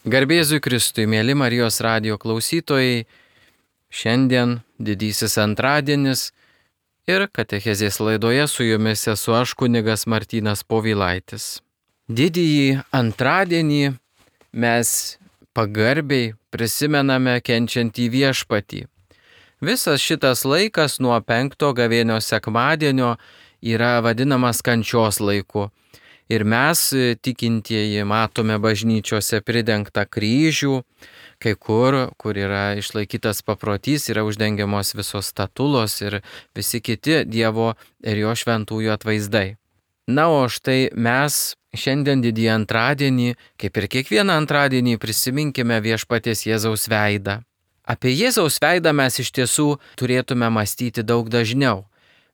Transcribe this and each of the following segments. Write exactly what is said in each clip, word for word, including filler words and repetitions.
Garbė Jėzui Kristui, mėly Marijos radijo klausytojai, šiandien didysis antradienis ir katechezės laidoje su jumis esu aš kunigas Martynas Povilaitis. Didįjį antradienį mes pagarbiai prisimename kenčiantį Viešpatį. Visas šitas laikas nuo penkto gavėnios sekmadienio yra vadinamas kančios laiku. Ir mes, tikintieji, matome bažnyčiose pridengtą kryžių, kai kur, kur yra išlaikytas paprotys, yra uždengiamos visos statulos ir visi kiti Dievo ir jo šventųjų atvaizdai. Na, o štai mes šiandien didįjį antradienį, kaip ir kiekvieną antradienį, prisiminkime Viešpaties Jėzaus veidą. Apie Jėzaus veidą mes iš tiesų turėtume mąstyti daug dažniau,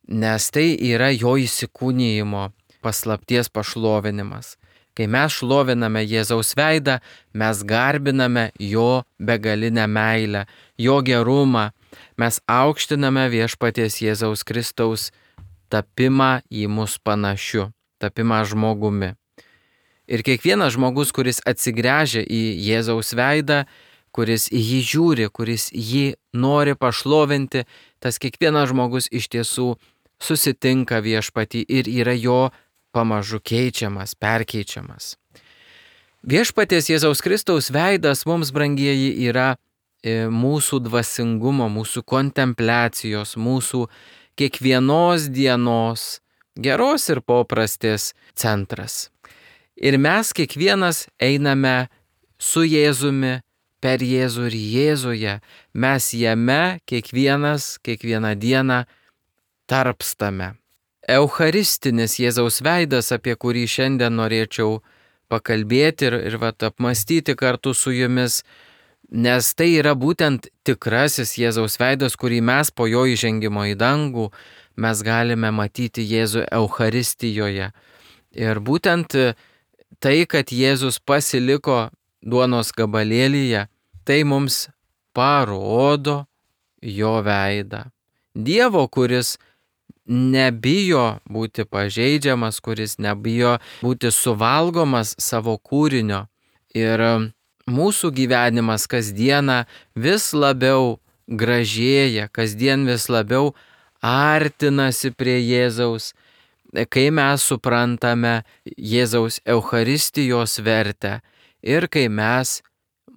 nes tai yra jo įsikūnijimo paslapties pašlovinimas. Kai mes šloviname Jėzaus veidą, mes garbiname jo begalinę meilę, jo gerumą, mes aukštiname Viešpaties Jėzaus Kristaus tapimą į mus panašiu, tapimą žmogumi. Ir kiekvienas žmogus, kuris atsigręžia į Jėzaus veidą, kuris į jį žiūri, kuris jį nori pašlovinti, tas kiekvienas žmogus iš tiesų susitinka Viešpatį ir yra jo pamažu keičiamas, perkeičiamas. Viešpaties Jėzaus Kristaus veidas mums, brangieji, yra mūsų dvasingumo, mūsų kontempliacijos, mūsų kiekvienos dienos, geros ir paprastės centras. Ir mes kiekvienas einame su Jėzumi, per Jėzų ir Jėzuje. Mes jame kiekvienas, kiekvieną dieną tarpstame. Eucharistinis Jėzaus veidas, apie kurį šiandien norėčiau pakalbėti ir, ir vat, apmastyti kartu su jumis, nes tai yra būtent tikrasis Jėzaus veidas, kurį mes po jo įžengimo į dangų mes galime matyti Jėzų Eucharistijoje. Ir būtent tai, kad Jėzus pasiliko duonos gabalėlyje, tai mums parodo jo veidą. Dievo, kuris nebijo būti pažeidžiamas, kuris nebijo būti suvalgomas savo kūrinio. Ir mūsų gyvenimas kasdieną vis labiau gražėja, kasdien vis labiau artinasi prie Jėzaus, kai mes suprantame Jėzaus Eucharistijos vertę ir kai mes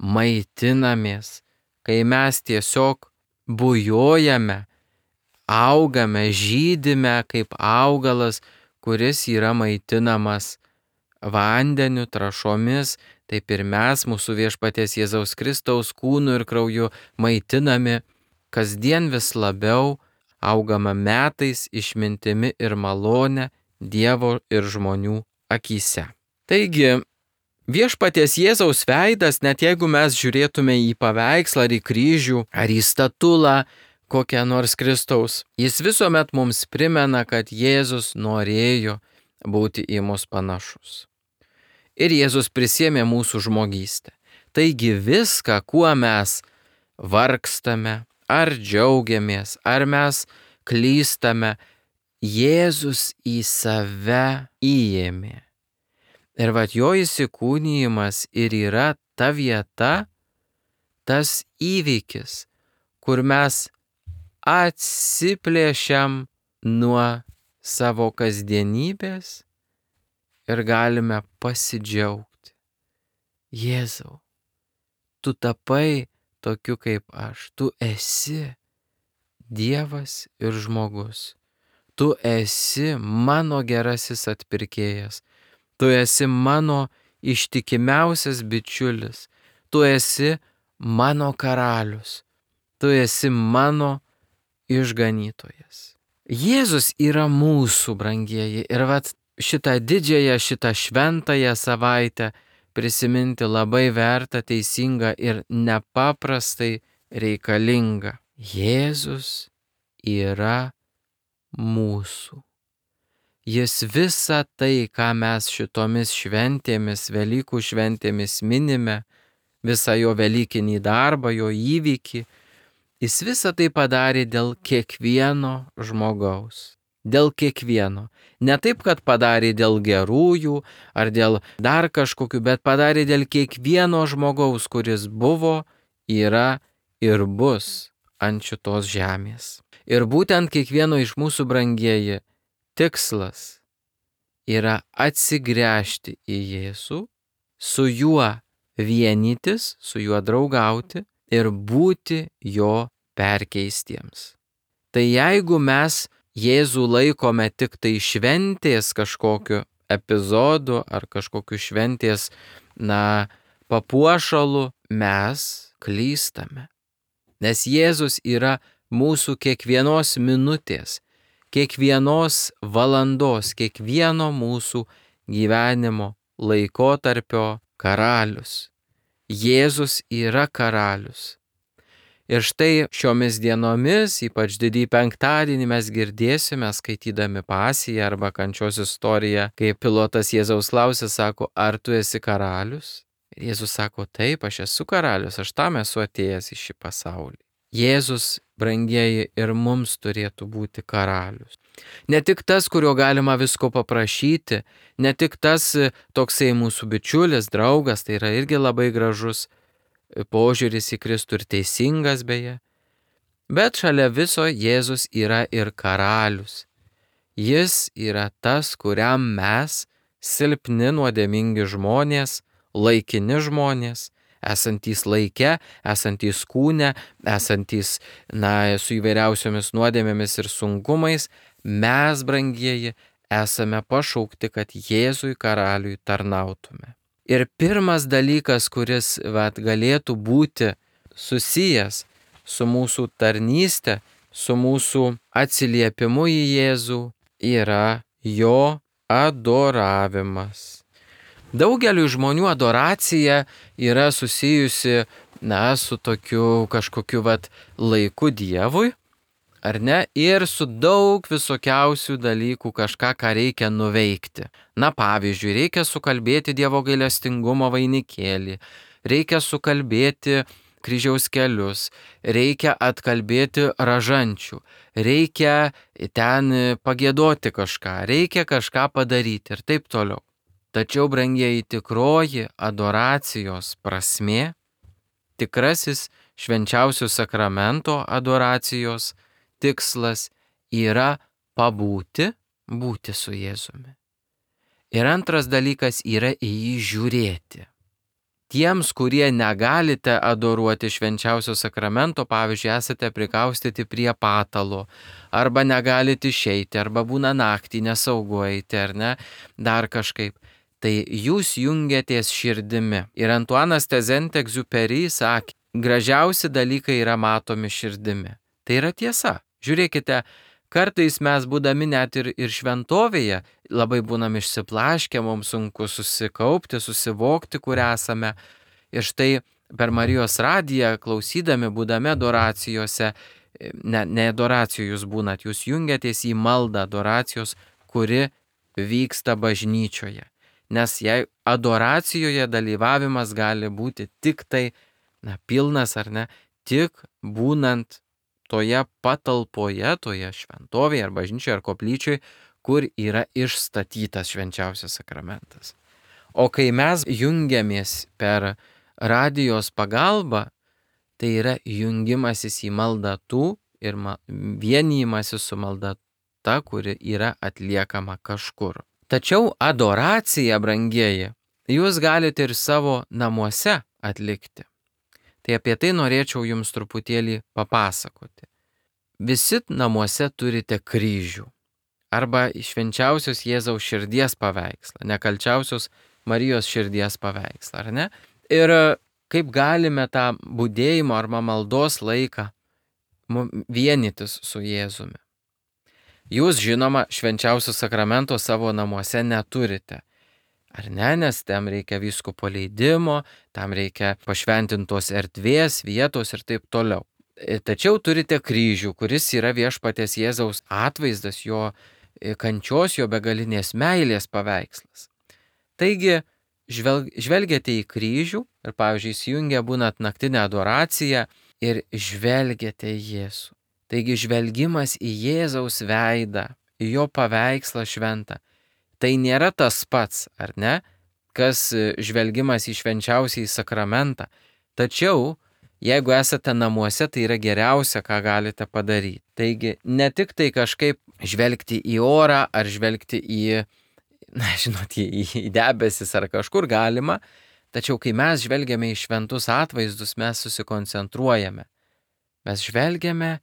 maitinamės, kai mes tiesiog bujojame, augame, žydime kaip augalas, kuris yra maitinamas vandeniu, trąšomis, taip ir mes, mūsų Viešpaties Jėzaus Kristaus kūnu ir krauju maitinami, kasdien vis labiau augame metais, išmintimi ir malone Dievo ir žmonių akyse. Taigi, Viešpaties Jėzaus veidas, net jeigu mes žiūrėtume į paveikslą ar į kryžių ar į statulą, kokią nors Kristaus, jis visuomet mums primena, kad Jėzus norėjo būti į mus panašus. Ir Jėzus prisiėmė mūsų žmogystę. Taigi viską, kuo mes vargstame, ar džiaugiamės, ar mes klystame, Jėzus į save įėmė. Ir vat jo įsikūnijimas ir yra ta vieta, tas įvykis, kur mes atsiplėšiam nuo savo kasdienybės ir galime pasidžiaugti. Jėzau, tu tapai tokiu kaip aš, tu esi Dievas ir žmogus, tu esi mano gerasis atpirkėjas, tu esi mano ištikimiausias bičiulis, tu esi mano karalius, tu esi mano išganytojas. Jėzus yra mūsų, brangieji, ir vat šitą didžiąją, šitą šventąją savaitę prisiminti labai verta, teisinga ir nepaprastai reikalinga. Jėzus yra mūsų. Jis visą tai, ką mes šitomis šventėmis, Velykų šventėmis minime, visą jo velykinį darbą, jo įvykį, jis visą tai padarė dėl kiekvieno žmogaus. dėl kiekvieno. Ne taip, kad padarė dėl gerųjų ar dėl dar kažkokių, bet padarė dėl kiekvieno žmogaus, kuris buvo, yra ir bus ant šitos žemės. Ir būtent kiekvieno iš mūsų, brangieji, tikslas yra atsigręžti į Jėzų, su juo vienytis, su juo draugauti ir būti jo perkeistiems. Tai jeigu mes Jėzų laikome tik tai šventės kažkokiu epizodu ar kažkokiu šventės, na, papuošalu, mes klystame. Nes Jėzus yra mūsų kiekvienos minutės, kiekvienos valandos, kiekvieno mūsų gyvenimo laikotarpio karalius. Jėzus yra karalius. Ir štai šiomis dienomis, ypač didįjį penktadienį, mes girdėsime, skaitydami Pasiją arba kančios istoriją, kai pilotas Jėzaus klausė, sako, ar tu esi karalius? Ir Jėzus sako, taip, aš esu karalius, aš tam esu atėjęs į šį pasaulį. Jėzus, brangieji, ir mums turėtų būti karalius. Ne tik tas, kurio galima visko paprašyti, ne tik tas toksai mūsų bičiulis, draugas, tai yra irgi labai gražus požiūris į Kristų ir teisingas beje, bet šalia viso Jėzus yra ir karalius. Jis yra tas, kuriam mes, silpni nuodėmingi žmonės, laikini žmonės, esantys laike, esantys kūne, esantys, na, su įvairiausiomis nuodėmėmis ir sunkumais, mes, brangieji, esame pašaukti, kad Jėzui karaliui tarnautume. Ir pirmas dalykas, kuris vat, galėtų būti susijęs su mūsų tarnyste, su mūsų atsiliepimu į Jėzų, yra jo adoravimas. Daugeliu žmonių adoracija yra susijusi, na, su tokiu kažkokiu vat, laiku Dievui, ar ne, ir su daug visokiausių dalykų kažką, ką reikia nuveikti. Na, pavyzdžiui, reikia sukalbėti Dievo gailestingumo vainikėlį, reikia sukalbėti kryžiaus kelius, reikia atkalbėti ražančių, reikia ten pagėdoti kažką, reikia kažką padaryti ir taip toliau. Tačiau, brangieji, tikroji adoracijos prasmė, tikrasis švenčiausio sakramento adoracijos tikslas yra pabūti, būti su Jėzumi. Ir antras dalykas yra į jį žiūrėti. Tiems, kurie negalite adoruoti švenčiausio sakramento, pavyzdžiui, esate prikaustyti prie patalo, arba negalite išeiti, arba būna naktį nesaugu eiti, ar ne, dar kažkaip, tai jūs jungiatės širdimi. Ir Antuanas de Saint-Exupéry sakė, gražiausi dalykai yra matomi širdimi. Tai yra tiesa. Žiūrėkite, kartais mes būdami net ir, ir šventovėje labai būnam išsiplaškę, mums sunku susikaupti, susivokti, kur esame. Ir štai per Marijos radiją klausydami, būdami adoracijose, ne, ne adoracijų jūs būnat, jūs jungiatės į maldą adoracijos, kuri vyksta bažnyčioje. Nes jei adoracijoje dalyvavimas gali būti tik tai, na, pilnas ar ne, tik būnant toje patalpoje, toje šventovėje ar bažnyčioje ar koplyčioje, kur yra išstatytas švenčiausias sakramentas. O kai mes jungiamės per radijos pagalbą, tai yra jungimasis į maldą tų ir vienijimasis su malda ta, kuri yra atliekama kažkur. Tačiau adoraciją, brangieji, jūs galite ir savo namuose atlikti. Tai apie tai norėčiau jums truputėlį papasakoti. Visi namuose turite kryžių arba švenčiausios Jėzaus širdies paveikslą, nekalčiausios Marijos širdies paveikslą, ar ne? Ir kaip galime tą budėjimo arba maldos laiką vienytis su Jėzumi. Jūs, žinoma, švenčiausio sakramento savo namuose neturite. Ar ne, nes tam reikia vyskupo leidimo, tam reikia pašventintos erdvės, vietos ir taip toliau. Tačiau turite kryžių, kuris yra viešpaties Jėzaus atvaizdas, jo kančios, jo begalinės meilės paveikslas. Taigi, žvelg, žvelgiate į kryžių ir, pavyzdžiui, įsijungia būnat naktinę adoraciją ir žvelgiate į Jėzų. Taigi, žvelgimas į Jėzaus veidą į jo paveikslą šventą. Tai nėra tas pats, ar ne, kas žvelgimas į švenčiausiąjį sakramentą. Tačiau, jeigu esate namuose, tai yra geriausia, ką galite padaryti. Taigi, ne tik tai kažkaip žvelgti į orą, ar žvelgti į, na, žinot, į, į debesis ar kažkur galima, tačiau kai mes žvelgiame į šventus atvaizdus, mes susikoncentruojame. Mes žvelgiame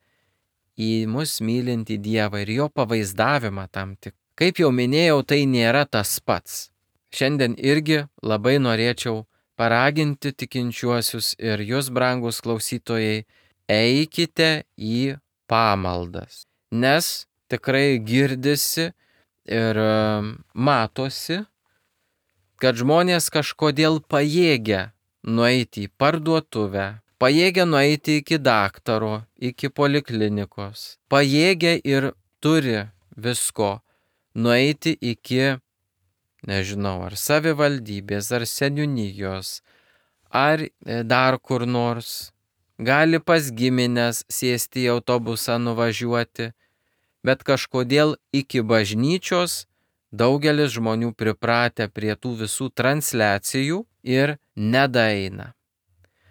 į mus mylintį Dievą ir jo pavaizdavimą tam tik. Kaip jau minėjau, tai nėra tas pats. Šiandien irgi labai norėčiau paraginti tikinčiuosius ir jūs, brangus klausytojai, eikite į pamaldas. Nes tikrai girdisi ir matosi, kad žmonės kažkodėl pajėgia nueiti į parduotuvę, pajėgia nueiti iki daktaro, iki poliklinikos, pajėgia ir turi visko nueiti iki, nežinau, ar savivaldybės, ar seniūnijos, ar dar kur nors. Gali pas giminės sėsti į autobusą nuvažiuoti, bet kažkodėl iki bažnyčios daugelis žmonių pripratę prie tų visų transliacijų ir nedaeina.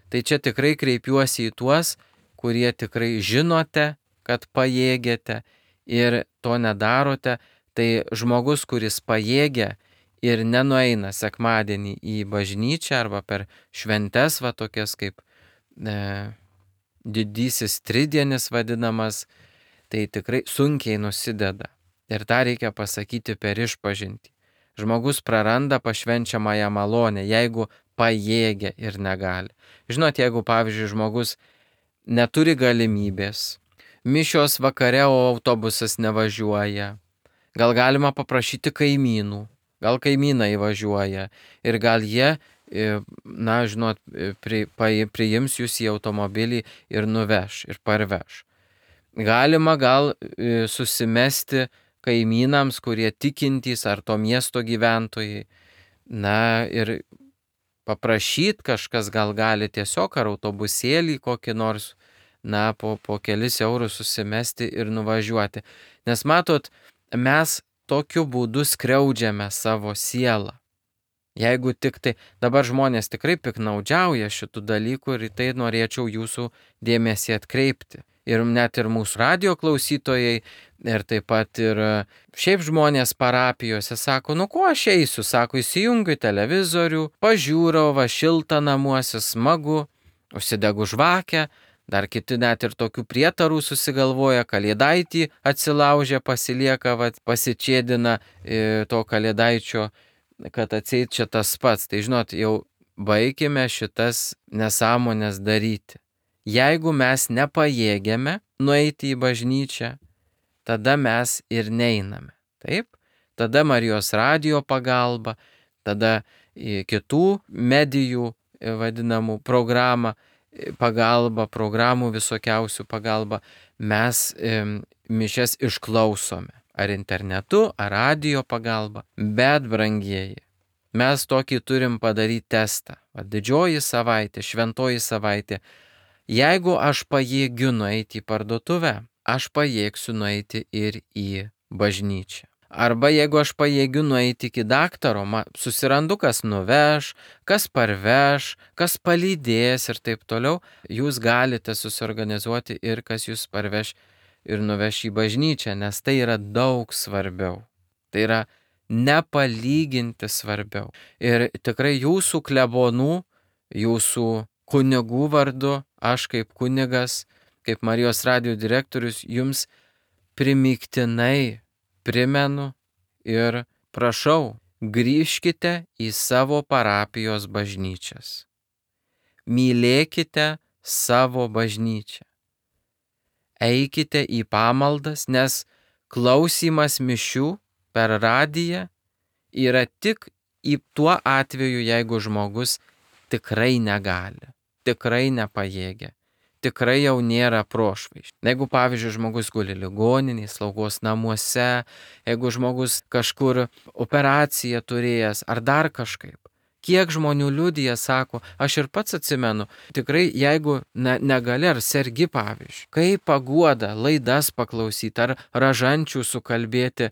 Tai čia tikrai kreipiuosi į tuos, kurie tikrai žinote, kad pajėgiate ir to nedarote. Tai žmogus, kuris pajėgia ir nenueina sekmadienį į bažnyčią arba per šventes, va tokias kaip e, didysis tridienis vadinamas, tai tikrai sunkiai nusideda. Ir tą reikia pasakyti per išpažintį. Žmogus praranda pašvenčiamąją malonę, jeigu pajėgia ir negali. Žinot, jeigu, pavyzdžiui, žmogus neturi galimybės, mišios vakare, o autobusas nevažiuoja, gal galima paprašyti kaimynų, gal kaimynai važiuoja ir gal jie, na, žinot, pri, priims jūs į automobilį ir nuveš, ir parveš. Galima gal susimesti kaimynams, kurie tikintys ar to miesto gyventojai, na, ir paprašyti kažkas gal gali tiesiog ar autobusėlį kokį nors, na, po, po kelis eurus susimesti ir nuvažiuoti. Nes matot, mes tokiu būdu skriaudžiame savo sielą. Jeigu tik tai, dabar žmonės tikrai piknaudžiauja šitų dalykų ir į tai norėčiau jūsų dėmesį atkreipti. Ir net ir mūsų radio klausytojai, ir taip pat ir šiaip žmonės parapijose sako, nu ko aš eisiu, sako, įsijungiu televizorių, pažiūrau, va šilta namuose, smagu, užsidegu žvakę. Dar kiti net ir tokių prietarų susigalvoja, kalėdaitį atsilaužia, pasilieka, va, pasičėdina e, to kalėdaičio, kad atseit čia tas pats. Tai žinot, jau baikime šitas nesąmonės daryti. Jeigu mes nepajėgiame nueiti į bažnyčią, tada mes ir neiname. Taip? Tada Marijos radijo pagalba, tada kitų medijų vadinamų programą, pagalba, programų visokiausių pagalba, mes e, mišias išklausome. Ar internetu, ar radijo pagalba. Bet, brangieji, mes tokį turim padaryti testą. Va, didžioji savaitė, šventoji savaitė. Jeigu aš pajėgiu nueiti į parduotuvę, aš pajėgsiu nueiti ir į bažnyčią. Arba jeigu aš pajėgiu nueiti iki daktaro, susirandu, kas nuveš, kas parveš, kas palydės ir taip toliau, jūs galite susiorganizuoti ir kas jūs parveš ir nuveš į bažnyčią, nes tai yra daug svarbiau. Tai yra nepalyginti svarbiau. Ir tikrai jūsų klebonų, jūsų kunigų vardu, aš kaip kunigas, kaip Marijos radijo direktorius, jums primygtinai primenu ir prašau, grįžkite į savo parapijos bažnyčias. Mylėkite savo bažnyčią. Eikite į pamaldas, nes klausymas mišių per radiją yra tik į tuo atveju, jeigu žmogus tikrai negali, tikrai nepajėgia. Tikrai jau nėra prošvaiš. Jeigu, pavyzdžiui, žmogus guli ligoninėje, slaugos namuose, jeigu žmogus kažkur operaciją turėjęs ar dar kažkaip, Kiek žmonių liudija, sako, aš ir pats atsimenu, tikrai jeigu ne, negali ar sergi pavyzdžiui, kaip paguoda laidas paklausyti, ar ražančių sukalbėti,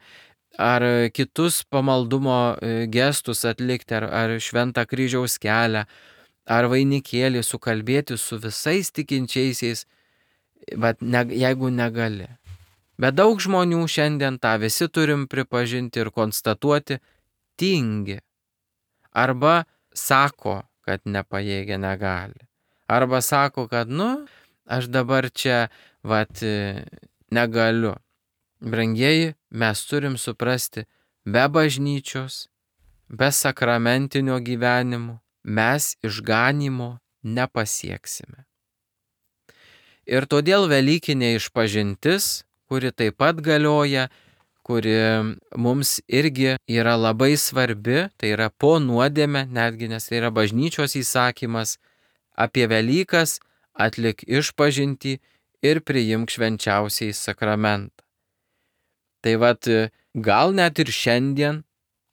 ar kitus pamaldumo gestus atlikti, ar, ar šventą kryžiaus kelią, ar vainikėlį sukalbėti su visais tikinčiaisiais, bet ne, jeigu negali. Bet daug žmonių šiandien tą visi turim pripažinti ir konstatuoti, tingi. Arba sako, kad nepajėgia, negali. Arba sako, kad, nu, aš dabar čia, vat, negaliu. Brangieji, mes turim suprasti, be bažnyčios, be sakramentinio gyvenimo mes išganimo nepasieksime. Ir todėl velykinė išpažintis, kuri taip pat galioja, kuri mums irgi yra labai svarbi, tai yra po nuodėmę, netgi nes tai yra bažnyčios įsakymas, apie Velykas atlik išpažintį ir priimk švenčiausiai sakramentą. Tai vat, gal net ir šiandien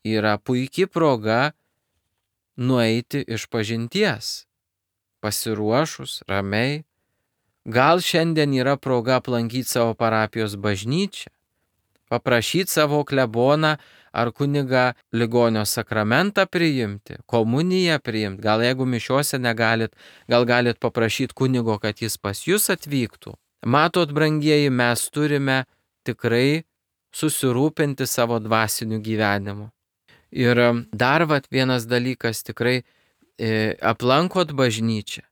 yra puikia proga nueiti išpažinties, pasiruošus, ramiai. Gal šiandien yra proga aplankyti savo parapijos bažnyčią, paprašyti savo kleboną ar kunigą ligonio sakramentą priimti, komuniją priimti. Gal jeigu mišiuose negalit, gal galit paprašyti kunigo, kad jis pas jūs atvyktų. Matot, brangieji, mes turime tikrai susirūpinti savo dvasiniu gyvenimu. Ir dar vat vienas dalykas, tikrai e, aplankot bažnyčią.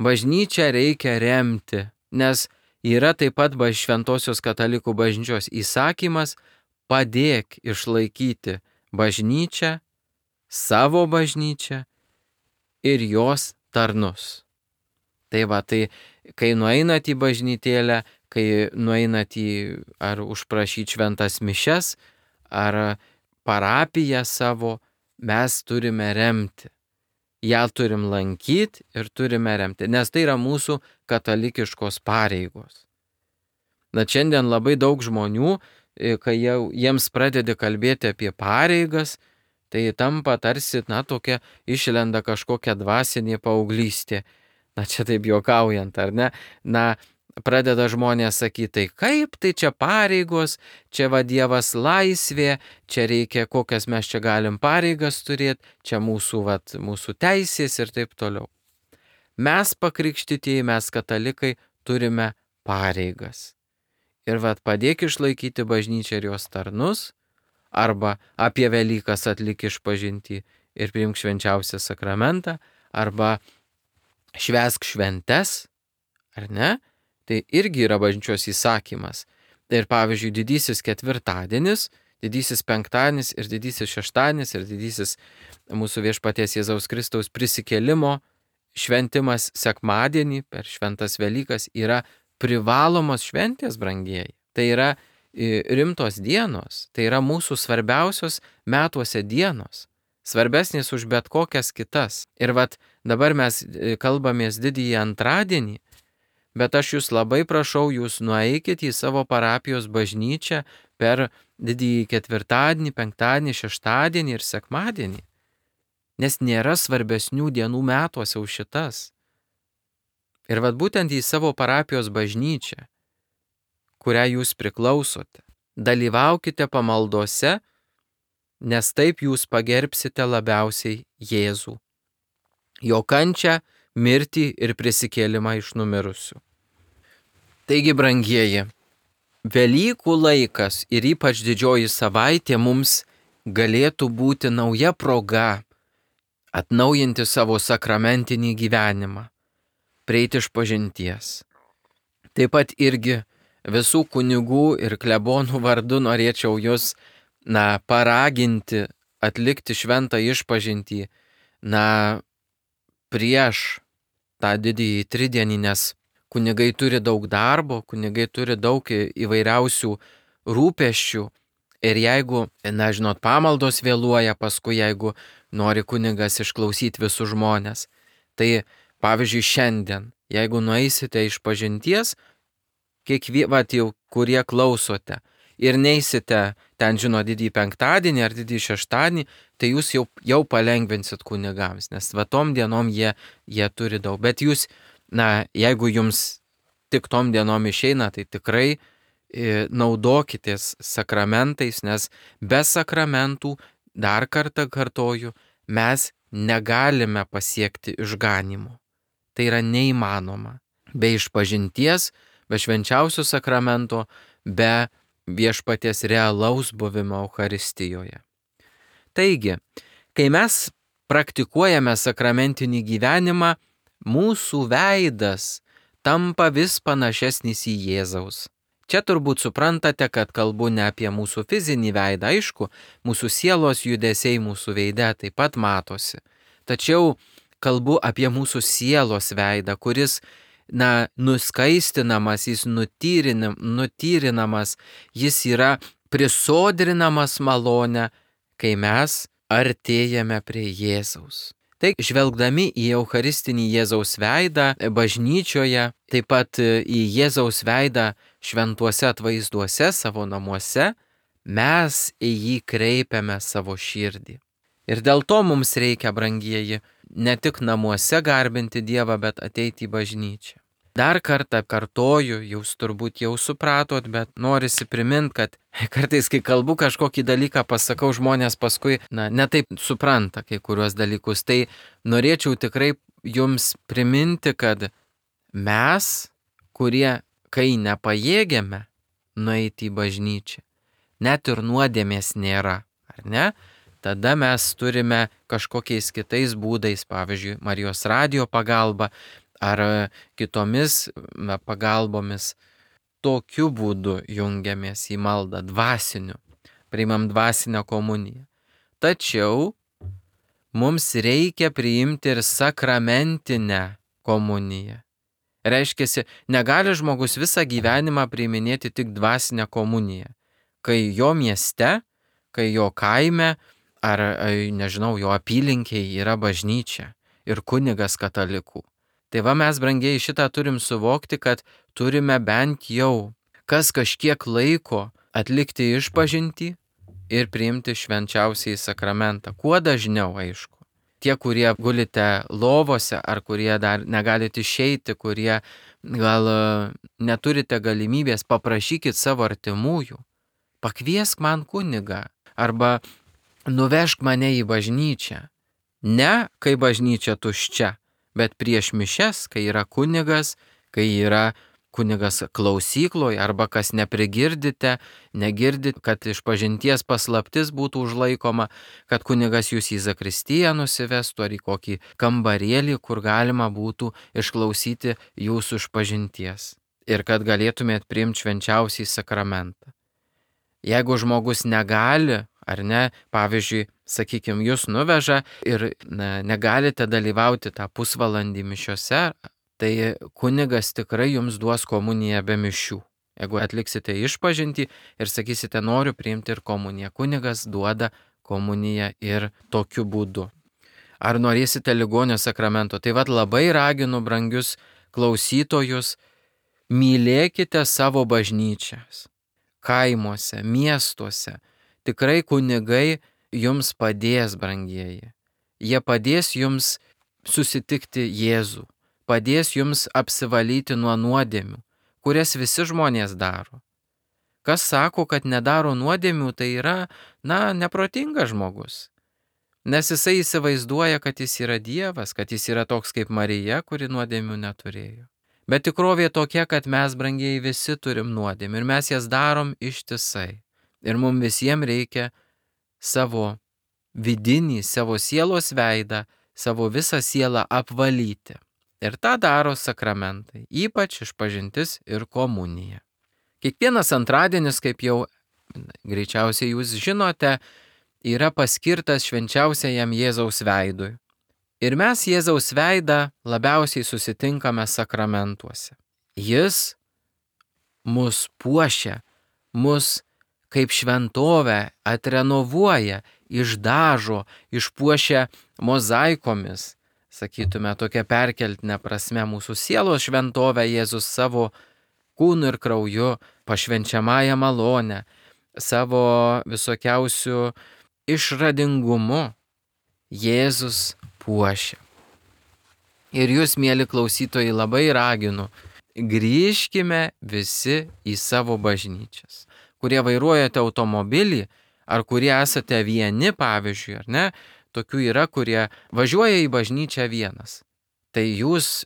Bažnyčią reikia remti, nes yra taip pat Šventosios katalikų bažnyčios įsakymas padėk išlaikyti bažnyčią, savo bažnyčią ir jos tarnus. Tai va, tai kai nueinat į bažnytėlę, kai nueinat į ar užprašyti šventas mišias, ar parapiją savo, mes turime remti. Ja turim lankyti ir turime remti, nes tai yra mūsų katalikiškos pareigos. Na, šiandien labai daug žmonių, kai jau jiems pradedi kalbėti apie pareigas, tai tampa tarsi, na, tokia išlenda kažkokia dvasinė paauglystė. Na, čia taip juokaujant, ar ne? Na, pradeda žmonės sakyti, tai kaip, tai čia pareigos, čia va Dievas laisvė, čia reikia, kokias mes čia galim pareigas turėti, čia mūsų, va, mūsų teisės ir taip toliau. Mes pakrikštytieji, mes katalikai turime pareigas. Ir va, padėk išlaikyti bažnyčią ir jos tarnus, arba apie Velykas atlik išpažintį ir priimk švenčiausią sakramentą, arba švęsk šventes, ar ne? Tai irgi yra bažnyčios įsakymas. Ir pavyzdžiui, didysis ketvirtadienis, didysis penktadienis ir didysis šeštadienis ir didysis mūsų viešpaties Jėzaus Kristaus prisikėlimo šventimas sekmadienį per šventas Velykas yra privalomos šventės, brangieji. Tai yra rimtos dienos, tai yra mūsų svarbiausios metuose dienos, svarbesnės už bet kokias kitas. Ir vat dabar mes kalbamės didįjį antradienį, bet aš jūs labai prašau, jūs nueikit į savo parapijos bažnyčią per didįjį ketvirtadienį, penktadienį, šeštadienį ir sekmadienį. Nes nėra svarbesnių dienų metuose už šitas. Ir vat būtent į savo parapijos bažnyčią, kurią jūs priklausote, dalyvaukite pamaldose, nes taip jūs pagerbsite labiausiai Jėzų, jo kančią, mirtį ir prisikėlimą iš numirusių. Taigi, brangieji, Velykų laikas ir ypač didžioji savaitė mums galėtų būti nauja proga atnaujinti savo sakramentinį gyvenimą, prieiti išpažinties. Taip pat irgi visų kunigų ir klebonų vardu norėčiau jūs, na, paraginti atlikti šventą išpažintį, na, prieš tą didįjį tridienį, nes kunigai turi daug darbo, kunigai turi daug įvairiausių rūpesčių ir jeigu, na, žinot, pamaldos vėluoja, paskui jeigu nori kunigas išklausyti visus žmonės, tai pavyzdžiui šiandien, jeigu nueisite išpažinties, kiekvie, vat jau kurie klausote, ir neisite ten, žino, didįjį penktadienį ar didįjį šeštadienį, tai jūs jau, jau palengvinsit kunigams, nes va tom dienom jie, jie turi daug. Bet jūs, na, jeigu jums tik tom dienom išeina, tai tikrai e, naudokitės sakramentais, nes be sakramentų, dar kartą kartoju, mes negalime pasiekti išganimo. Tai yra neįmanoma. Be išpažinties, be švenčiausio sakramento, be viešpaties realaus buvimo Eucharistijoje. Taigi, kai mes praktikuojame sakramentinį gyvenimą, mūsų veidas tampa vis panašesnis į Jėzaus. Čia turbūt suprantate, kad kalbu ne apie mūsų fizinį veidą, aišku, mūsų sielos judesiai mūsų veide taip pat matosi. Tačiau kalbu apie mūsų sielos veidą, kuris, na, nuskaistinamas, jis nutyrinam, nutyrinamas, jis yra prisodrinamas malonę, kai mes artėjame prie Jėzaus. Tai žvelgdami į Eucharistinį Jėzaus veidą bažnyčioje, taip pat į Jėzaus veidą šventuose atvaizduose savo namuose, mes į jį kreipiame savo širdį. Ir dėl to mums reikia, brangieji, ne tik namuose garbinti Dievą, bet ateiti į bažnyčią. Dar kartą kartoju, jūs turbūt jau supratot, bet norisi priminti, kad kartais, kai kalbu kažkokį dalyką, pasakau, žmonės paskui, na, netaip supranta kai kuriuos dalykus. Tai norėčiau tikrai jums priminti, kad mes, kurie, kai nepajėgiame nueiti į bažnyčią, net ir nuodėmės nėra, ar ne? Tada mes turime kažkokiais kitais būdais, pavyzdžiui, Marijos radijo pagalba, ar kitomis pagalbomis, tokiu būdu jungiamės į maldą dvasiniu, priimam dvasinę komuniją. Tačiau mums reikia priimti ir sakramentinę komuniją. Reiškiasi, negali žmogus visą gyvenimą priiminėti tik dvasinę komuniją, kai jo mieste, kai jo kaime, ar, nežinau, jo apylinkiai yra bažnyčia ir kunigas katalikų. Tai va mes, brangieji, šitą turim suvokti, kad turime bent jau kas kažkiek laiko atlikti išpažintį ir priimti švenčiausiąjį sakramentą. Kuo dažniau, aišku. Tie, kurie gulite lovose ar kurie dar negalite išeiti, kurie gal neturite galimybės, paprašykit savo artimųjų. Pakviesk man kunigą arba nuvežk mane į bažnyčią. Ne, kai bažnyčia tuščia, bet prieš mišias, kai yra kunigas, kai yra kunigas klausykloje arba kas neprigirdite, negirdit, kad išpažinties paslaptis būtų užlaikoma, kad kunigas jūs į zakristiją nusivestų ar į kokį kambarėlį, kur galima būtų išklausyti jūsų išpažinties ir kad galėtumėt priimti švenčiausiąjį sakramentą. Jeigu žmogus negali, ar ne, pavyzdžiui, sakykime, jūs nuveža ir na, negalite dalyvauti tą pusvalandį mišiose, tai kunigas tikrai jums duos komuniją be mišių. Jeigu atliksite išpažintį ir sakysite, noriu priimti ir komuniją, kunigas duoda komuniją ir tokiu būdu. Ar norėsite ligonio sakramento? Tai vad labai raginu, brangius klausytojus, mylėkite savo bažnyčias, kaimuose, miestuose. Tikrai kunigai jums padės, brangieji. Jie padės jums susitikti Jėzų, padės jums apsivalyti nuo nuodėmių, kurias visi žmonės daro. Kas sako, kad nedaro nuodėmių, tai yra, na, neprotingas žmogus. Nes jisai įsivaizduoja, kad jis yra Dievas, kad jis yra toks kaip Marija, kuri nuodėmių neturėjo. Bet tikrovė tokia, kad mes, brangieji, visi turim nuodėmių ir mes jas darom ištisai. Ir mums visiems reikia savo vidinį, savo sielos veidą, savo visą sielą apvalyti. Ir tą daro sakramentai, ypač išpažintis ir komunija. Kiekvienas antradienis, kaip jau greičiausiai jūs žinote, yra paskirtas švenčiausiajam Jėzaus veidui. Ir mes Jėzaus veidą labiausiai susitinkame sakramentuose. Jis mus puošia, mus kaip šventovę atrenovuoja, išdažo, išpuošia mozaikomis. Sakytume, tokia perkeltinė prasme mūsų sielos šventovę Jėzus savo kūnu ir krauju, pašvenčiamąją malonę, savo visokiausių išradingumu Jėzus puošia. Ir jūs, mėly klausytojai, labai raginu, grįžkime visi į savo bažnyčias. Kurie vairuojate automobilį, ar kurie esate vieni, pavyzdžiui, ar ne, tokių yra, kurie važiuoja į bažnyčią vienas. Tai jūs,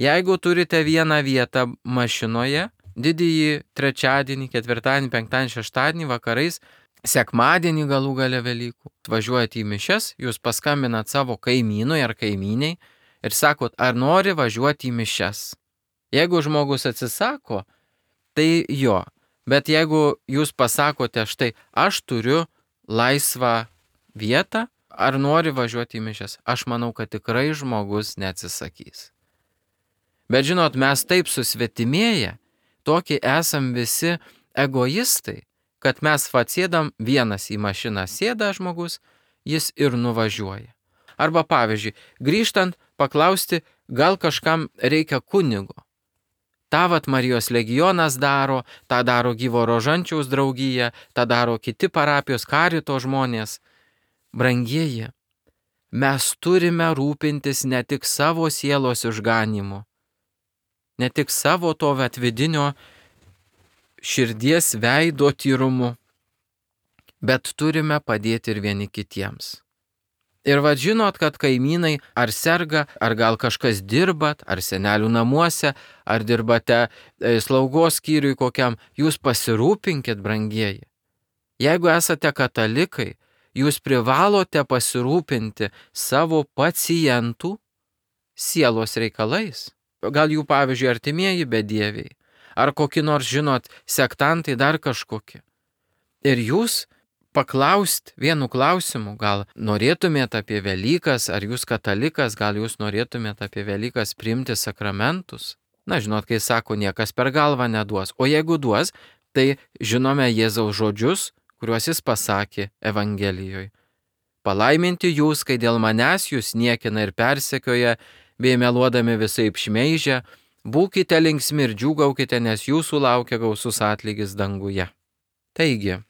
jeigu turite vieną vietą mašinoje, didįjį trečiadienį, ketvirtadienį, penktadienį, šeštadienį vakarais, sekmadienį galų gale Velykų, važiuojate į mišias, jūs paskambinat savo kaimynui ar kaimyniai ir sakot, ar nori važiuoti į mišias. Jeigu žmogus atsisako, tai jo. Bet jeigu jūs pasakote, štai, aš turiu laisvą vietą, ar nori važiuoti į mišias, aš manau, kad tikrai žmogus neatsisakys. Bet žinot, mes taip susvetimėję, tokie esam visi egoistai, kad mes atsėdam, vienas į mašiną sėda žmogus, jis ir nuvažiuoja. Arba pavyzdžiui, grįžtant paklausti, gal kažkam reikia kunigo. Ta vat Marijos legionas daro, tą daro Gyvo Rožančiaus draugija, tą daro kiti parapijos karito žmonės. Brangieji, mes turime rūpintis ne tik savo sielos išganimu, ne tik savo to atvidinio širdies veido tyrumu, bet turime padėti ir vieni kitiems. Ir vad žinot, kad kaimynai ar serga, ar gal kažkas dirbat, ar senelių namuose, ar dirbate e, slaugos skyriui kokiam, jūs pasirūpinkit, brangieji. Jeigu esate katalikai, jūs privalote pasirūpinti savo pacientų sielos reikalais. Gal jų, pavyzdžiui, artimieji bedieviai, ar kokie nors, žinot, sektantai dar kažkokie. Ir jūs paklaust vienu klausimu, gal norėtumėt apie Velykas, ar jūs katalikas, gal jūs norėtumėt apie Velykas priimti sakramentus? Na, žinot, kai sako, niekas per galvą neduos. O jeigu duos, tai žinome Jėzaus žodžius, kuriuos jis pasakė Evangelijoje. Palaiminti jūs, kai dėl manęs jūs niekina ir persekioja, bei meluodami visaip šmeižia, būkite linksmi ir džiūgaukite, nes jūsų laukia gausus atlygis danguje. Taigi,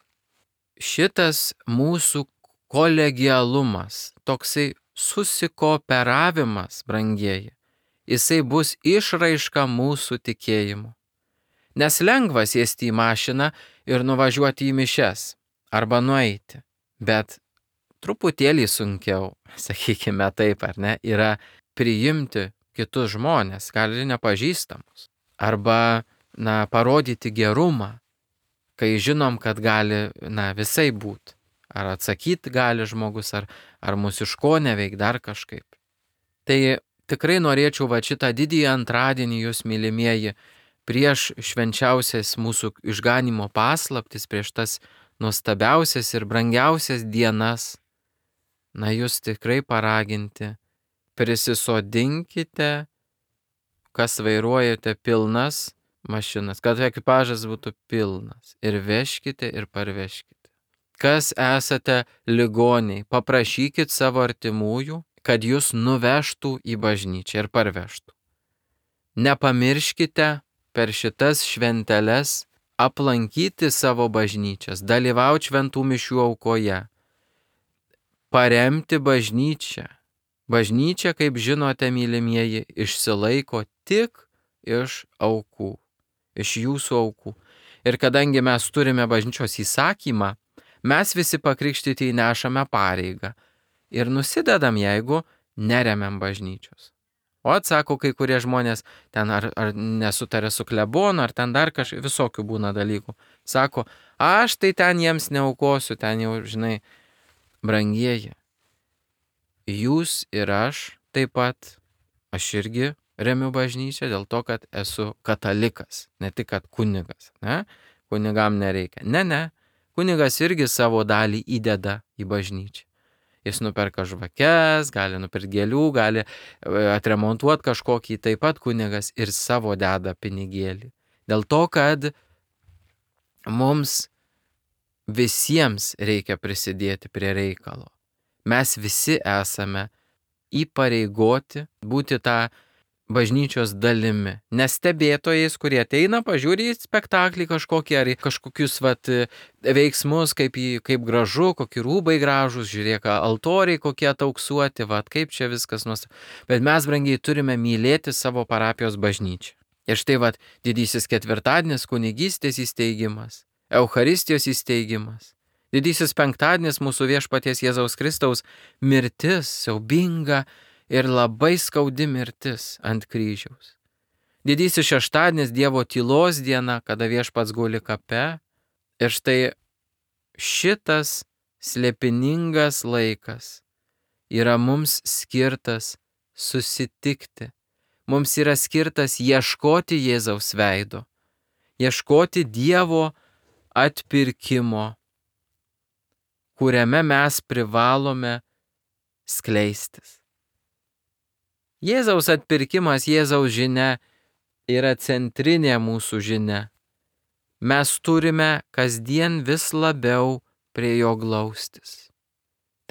šitas mūsų kolegialumas, toksai susikooperavimas, brangieji, jisai bus išraiška mūsų tikėjimu. Nes lengva sėsti į mašiną ir nuvažiuoti į mišias arba nueiti, bet truputėlį sunkiau, sakykime taip, ar ne, yra priimti kitus žmonės, gal ir nepažįstamus, arba, na, parodyti gerumą, kai žinom, kad gali, na, visai būt. Ar atsakyti gali žmogus, ar, ar mūsų iš ko neveik dar kažkaip. Tai tikrai norėčiau va šitą didįjį antradienį jūs, mylimieji, prieš švenčiausias mūsų išganimo paslaptis, prieš tas nuostabiausias ir brangiausias dienas, na, jūs tikrai paraginti, prisisodinkite, kas vairuojate pilnas mašinas, kad ekipažas būtų pilnas, ir vežkite ir parvežkite. Kas esate ligoniai, paprašykit savo artimųjų, kad jūs nuvežtų į bažnyčią ir parvežtų. Nepamirškite per šitas šventeles aplankyti savo bažnyčias, dalyvauti šventų mišių aukoje, paremti bažnyčią. Bažnyčia, kaip žinote, mylimieji, išsilaiko tik iš aukų. Iš jūsų aukų. Ir kadangi mes turime bažnyčios įsakymą, mes visi pakrikštyti nešame pareigą ir nusidedam, jeigu neremiam bažnyčios. O atsako kai kurie žmonės, ten ar, ar nesutarė su klebonu, ar ten dar kažkaip visokių būna dalykų. Sako, aš tai ten jiems neaukosiu, ten jau, žinai, brangieji. Jūs ir aš taip pat, aš irgi remiu bažnyčią dėl to, kad esu katalikas, ne tik kad kunigas. Ne? Kunigam nereikia. Ne, ne. Kunigas irgi savo dalį įdeda į bažnyčią. Jis nuperka žvakes, gali nupirkti gėlių, gali atremontuoti kažkokį, taip pat kunigas ir savo deda pinigėlį. Dėl to, kad mums visiems reikia prisidėti prie reikalo. Mes visi esame įpareigoti būti tą bažnyčios dalimi. Nestebėtojais, kurie ateina, pažiūri į spektaklį kažkokį ar į kažkokius vat, veiksmus, kaip, į, kaip gražu, kokie rūbai gražus, žiūrėk, altoriai kokie atauksuoti, vat, kaip čia viskas nuostabu. Bet mes, brangiai, turime mylėti savo parapijos bažnyčią. Ir štai vat, didysis ketvirtadienis kunigystės įsteigimas, Eucharistijos įsteigimas. Didysis penktadienis mūsų viešpaties Jėzaus Kristaus mirtis, siaubinga ir labai skaudi mirtis ant kryžiaus. Didysis šeštadienis Dievo tylos diena, kada viešpats guli kape. Ir štai šitas slėpiningas laikas yra mums skirtas susitikti. Mums yra skirtas ieškoti Jėzaus veido, ieškoti Dievo atpirkimo, kuriame mes privalome skleistis. Jėzaus atpirkimas, Jėzaus žinia yra centrinė mūsų žinia. Mes turime kasdien vis labiau prie jo glaustis.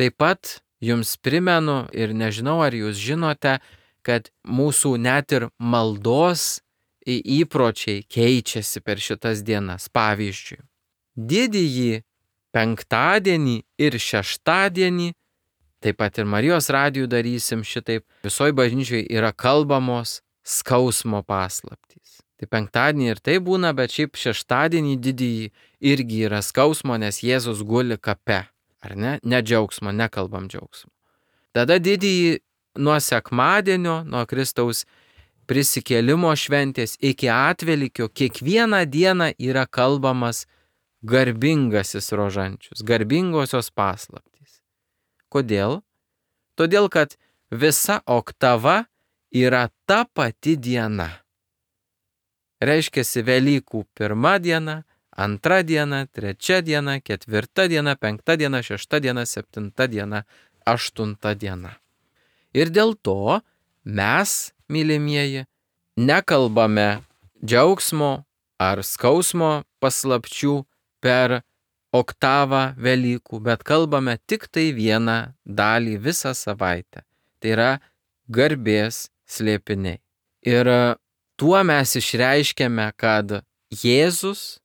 Taip pat jums primenu ir nežinau, ar jūs žinote, kad mūsų net ir maldos įpročiai keičiasi per šitas dienas. Pavyzdžiui, didįjį penktadienį ir šeštadienį, taip pat ir Marijos radijų darysim šitaip, visoje bažnyčioje yra kalbamos skausmo paslaptys. Tai penktadienį ir tai būna, bet šiaip šeštadienį didįjį irgi yra skausmo, nes Jėzus guli kape. Ar ne? Ne džiaugsmo, nekalbam džiaugsmo. Tada didįjį nuo sekmadienio, nuo Kristaus prisikėlimo šventės iki atvelykio, kiekvieną dieną yra kalbamas garbingasis rožančius, garbingosios paslaptys. Kodėl? Todėl, kad visa oktava yra ta pati diena. Reiškiasi Velykų pirma diena, antra diena, trečia diena, ketvirta diena, penkta diena, šešta diena, septinta diena, aštunta diena. Ir dėl to mes, mylimieji, nekalbame džiaugsmo ar skausmo paslapčių per oktavą Velykų, bet kalbame tik tai vieną dalį visą savaitę. Tai yra garbės slėpiniai. Ir tuo mes išreiškiame, kad Jėzus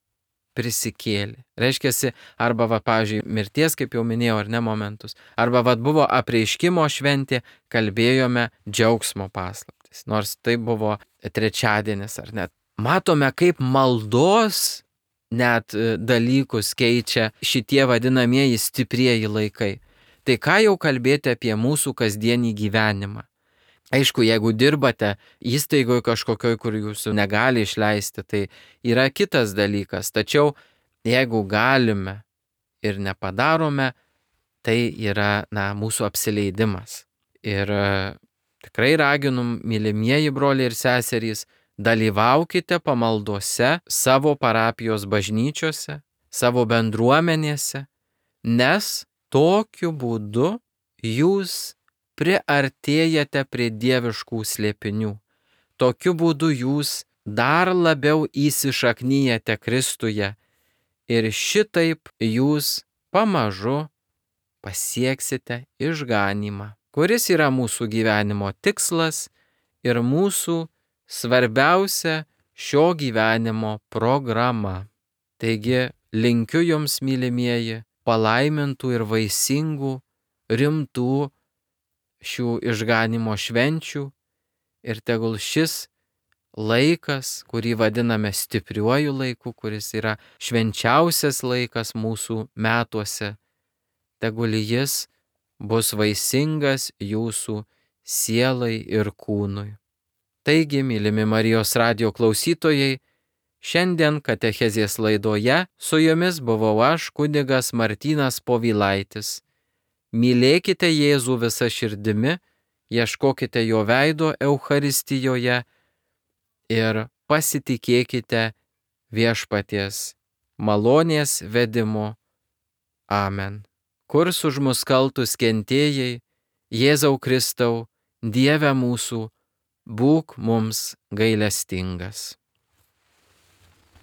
prisikėlė. Reiškiasi, arba, va, pavyzdžiui, mirties, kaip jau minėjau, ar ne momentus, arba, va, buvo apreiškimo šventė, kalbėjome džiaugsmo paslaptis, nors tai buvo trečiadienis, ar net. Matome, kaip maldos net dalykus keičia šitie vadinamieji stiprieji laikai. Tai ką jau kalbėti apie mūsų kasdienį gyvenimą? Aišku, jeigu dirbate įstaigoje kažkokioj, kur jūsų negali išleisti, tai yra kitas dalykas. Tačiau jeigu galime ir nepadarome, tai yra na, mūsų apsileidimas. Ir tikrai raginu, mylimieji broliai ir seserys, dalyvaukite pamaldose savo parapijos bažnyčiose, savo bendruomenėse, nes tokiu būdu jūs priartėjate prie dieviškų slėpinių. Tokiu būdu jūs dar labiau įsišaknyjate Kristuje ir šitaip jūs pamažu pasieksite išganymą, kuris yra mūsų gyvenimo tikslas ir mūsų svarbiausia šio gyvenimo programa. Taigi linkiu jums, mylimieji, palaimintų ir vaisingų, rimtų šių išganimo švenčių ir tegul šis laikas, kurį vadiname stipriuoju laiku, kuris yra švenčiausias laikas mūsų metuose, tegul jis bus vaisingas jūsų sielai ir kūnui. Taigi, mylimi Marijos radijo klausytojai, šiandien katechezės laidoje su jumis buvau aš, kunigas Martynas Povilaitis. Mylėkite Jėzų visą širdimi, ieškokite jo veido Eucharistijoje ir pasitikėkite viešpaties malonės vedimu. Amen. Kurs už mus kaltus kentėjai, Jėzau Kristau, Dieve mūsų, būk mums gailestingas.